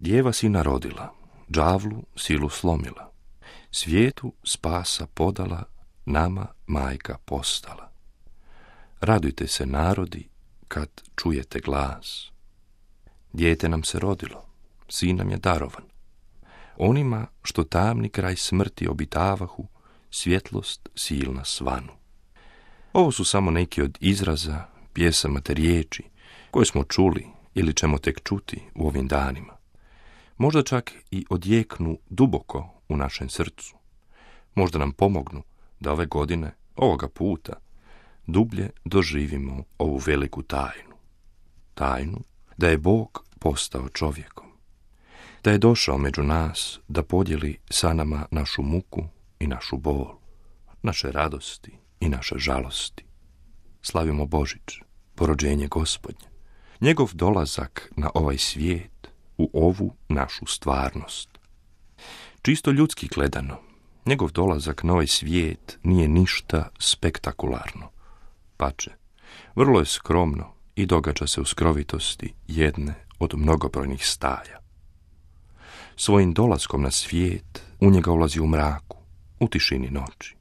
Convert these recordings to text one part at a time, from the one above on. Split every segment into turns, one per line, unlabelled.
Djeva sina rodila, đavlu silu slomila, svijetu spasa podala, nama majka postala. Radujte se narodi kad čujete glas. Dijete nam se rodilo, sin nam je darovan. Onima što tamni kraj smrti obitavahu, svjetlost silna svanu. Ovo su samo neki od izraza, pjesama te riječi koje smo čuli ili ćemo tek čuti u ovim danima. Možda čak i odjeknu duboko u našem srcu. Možda nam pomognu da ove godine, ovoga puta, dublje doživimo ovu veliku tajnu. Tajnu da je Bog postao čovjekom. Da je došao među nas da podijeli sa nama našu muku i našu bol, naše radosti i naše žalosti. Slavimo Božić, porođenje Gospodnje, njegov dolazak na ovaj svijet, u ovu našu stvarnost. Čisto ljudski gledano, njegov dolazak na ovaj svijet nije ništa spektakularno. Pače, vrlo je skromno i događa se u skrovitosti jedne od mnogobrojnih staja. Svojim dolaskom na svijet u njega ulazi u mraku, u tišini noći.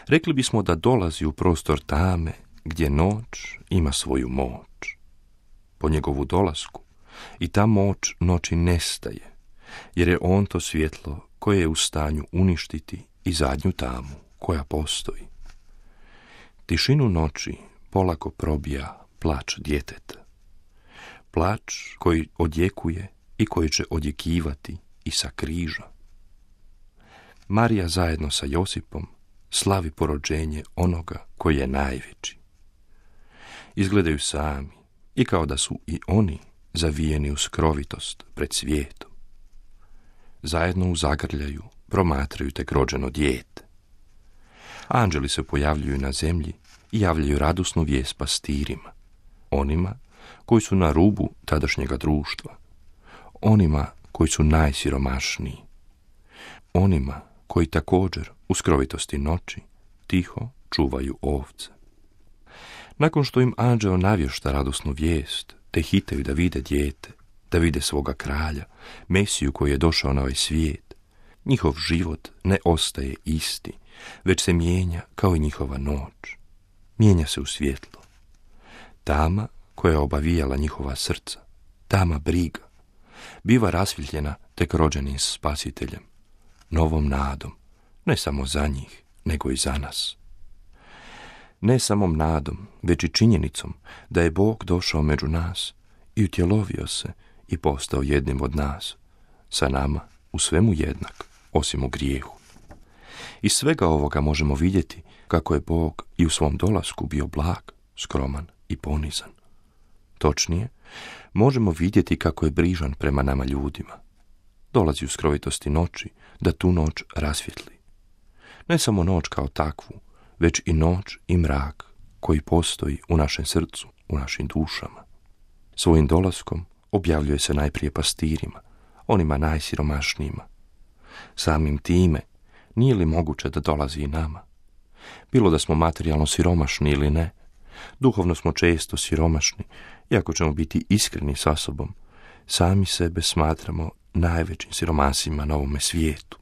Rekli bismo da dolazi u prostor tame gdje noć ima svoju moć. Po njegovu dolasku i ta moć noći nestaje, jer je on to svjetlo koje je u stanju uništiti i zadnju tamu koja postoji. Tišinu noći polako probija plač djeteta. Plač koji odjekuje i koji će odjekivati i sa križa. Marija zajedno sa Josipom slavi porođenje onoga koji je najveći. Izgledaju sami i kao da su i oni zavijeni u skrovitost pred svijetom. Zajedno u zagrljaju promatraju tek rođeno dijete. Anđeli se pojavljuju na zemlji i javljaju radosnu vijest pastirima, onima koji su na rubu tadašnjega društva, onima koji su najsiromašniji, onima koji također u skrovitosti noći tiho čuvaju ovce. Nakon što im anđeo navješta radosnu vijest, te hitaju da vide dijete, da vide svoga kralja, Mesiju koji je došao na ovaj svijet, njihov život ne ostaje isti, već se mijenja kao i njihova noć. Mijenja se u svjetlo. Tama koja je obavijala njihova srca, tama briga, biva rasvjetljena tek rođenim spasiteljem, novom nadom, ne samo za njih, nego i za nas. Ne samom nadom, već i činjenicom da je Bog došao među nas i utjelovio se i postao jednim od nas, sa nama u svemu jednak, osim u grijehu. Iz svega ovoga možemo vidjeti kako je Bog i u svom dolasku bio blag, skroman i ponizan. Točnije, možemo vidjeti kako je brižan prema nama ljudima. Dolazi u skrovitosti noći da tu noć rasvjetli. Ne samo noć kao takvu, već i noć i mrak koji postoji u našem srcu, u našim dušama. Svojim dolaskom objavljuje se najprije pastirima, onima najsiromašnijima. Samim time, nije li moguće da dolazi i nama? Bilo da smo materijalno siromašni ili ne, duhovno smo često siromašni, iako ćemo biti iskreni sa sobom, sami sebe smatramo najvećim siromasima na ovome svijetu,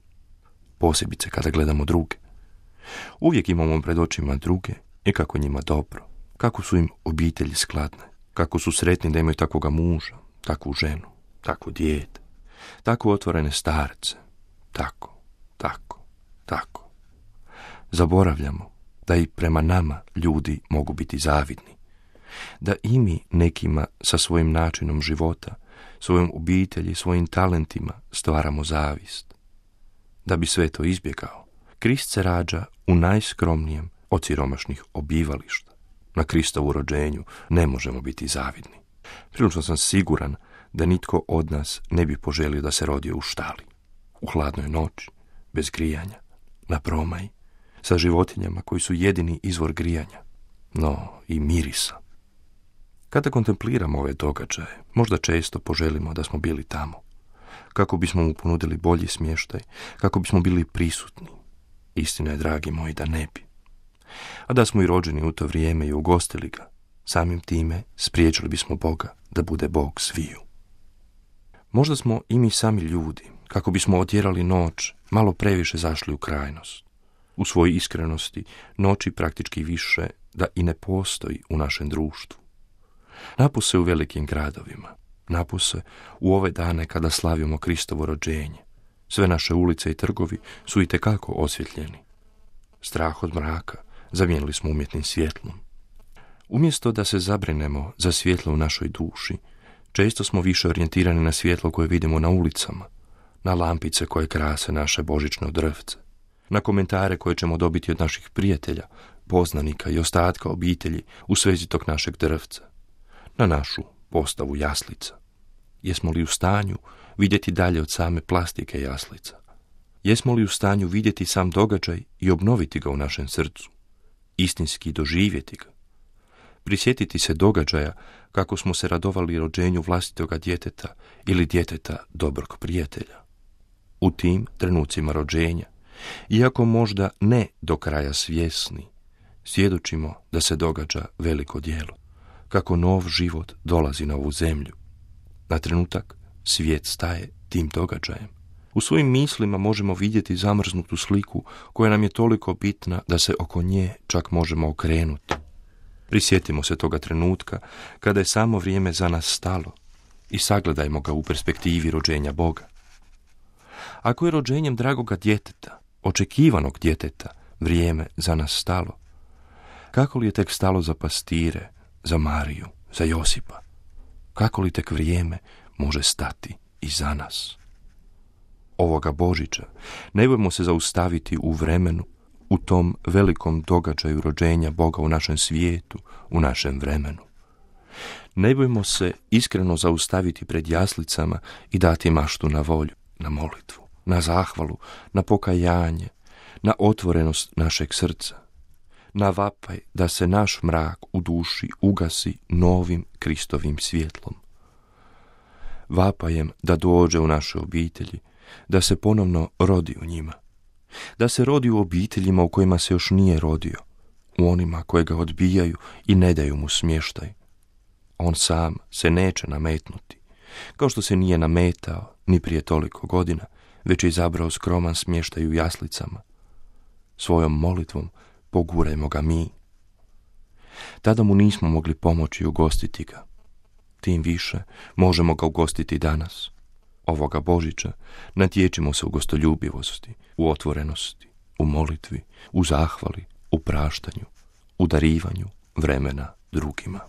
posebice kada gledamo druge. Uvijek imamo pred očima druge i kako njima dobro, kako su im obitelji skladne, kako su sretni da imaju takvoga muža, takvu ženu, takvo dijete, tako otvorene starce, tako. Zaboravljamo da i prema nama ljudi mogu biti zavidni, da i mi nekima sa svojim načinom života, svojom obitelji, svojim talentima stvaramo zavist. Da bi sve to izbjegao, Krist se rađa u najskromnijem od siromašnih obivališta. Na Kristovu rođenju ne možemo biti zavidni. Prilično sam siguran da nitko od nas ne bi poželio da se rodio u štali, u hladnoj noći, bez grijanja, na promaji, sa životinjama koji su jedini izvor grijanja, no i mirisa. Kada kontempliramo ove događaje, možda često poželimo da smo bili tamo, kako bismo mu ponudili bolji smještaj, kako bismo bili prisutni. Istina je, dragi moji, da ne bi. A da smo i rođeni u to vrijeme i ugostili ga, samim time spriječili bismo Boga da bude Bog sviju. Možda smo i mi sami ljudi, kako bismo otjerali noć, malo previše zašli u krajnost. U svojoj iskrenosti noći praktički više da i ne postoji u našem društvu. Napose u velikim gradovima, napose u ove dane kada slavimo Kristovo rođenje. Sve naše ulice i trgovi su itekako osvjetljeni. Strah od mraka zamijenili smo umjetnim svjetlom. Umjesto da se zabrinemo za svjetlo u našoj duši, često smo više orijentirani na svjetlo koje vidimo na ulicama, na lampice koje krase naše božićno drvce, na komentare koje ćemo dobiti od naših prijatelja, poznanika i ostatka obitelji u svezi tog našeg drvca, na našu postavu jaslica. Jesmo li u stanju vidjeti dalje od same plastike jaslica? Jesmo li u stanju vidjeti sam događaj i obnoviti ga u našem srcu, istinski doživjeti ga? Prisjetiti se događaja kako smo se radovali rođenju vlastitoga djeteta ili djeteta dobrog prijatelja. U tim trenucima rođenja, iako možda ne do kraja svjesni, svjedočimo da se događa veliko djelo, kako nov život dolazi na ovu zemlju. Na trenutak svijet staje tim događajem. U svojim mislima možemo vidjeti zamrznutu sliku koja nam je toliko bitna da se oko nje čak možemo okrenuti. Prisjetimo se toga trenutka kada je samo vrijeme za nas stalo i sagledajmo ga u perspektivi rođenja Boga. Ako je rođenjem dragoga djeteta, očekivanog djeteta, vrijeme za nas stalo, kako li je tek stalo za pastire, za Mariju, za Josipa? Kako li tek vrijeme može stati i za nas? Ovoga Božića ne bojmo se zaustaviti u vremenu, u tom velikom događaju rođenja Boga u našem svijetu, u našem vremenu. Ne bojmo se iskreno zaustaviti pred jaslicama i dati maštu na volju, na molitvu, na zahvalu, na pokajanje, na otvorenost našeg srca, na vapaj da se naš mrak u duši ugasi novim Kristovim svjetlom. Vapajem da dođe u naše obitelji, da se ponovno rodi u njima, da se rodi u obiteljima u kojima se još nije rodio, u onima koje ga odbijaju i ne daju mu smještaj. On sam se neće nametnuti, kao što se nije nametao ni prije toliko godina, već je izabrao skroman smještaj u jaslicama. Svojom molitvom pogurajmo ga mi. Tada mu nismo mogli pomoći ugostiti ga. Tim više možemo ga ugostiti danas. Ovoga Božića natječimo se u gostoljubivosti, u otvorenosti, u molitvi, u zahvali, u praštanju, u darivanju vremena drugima.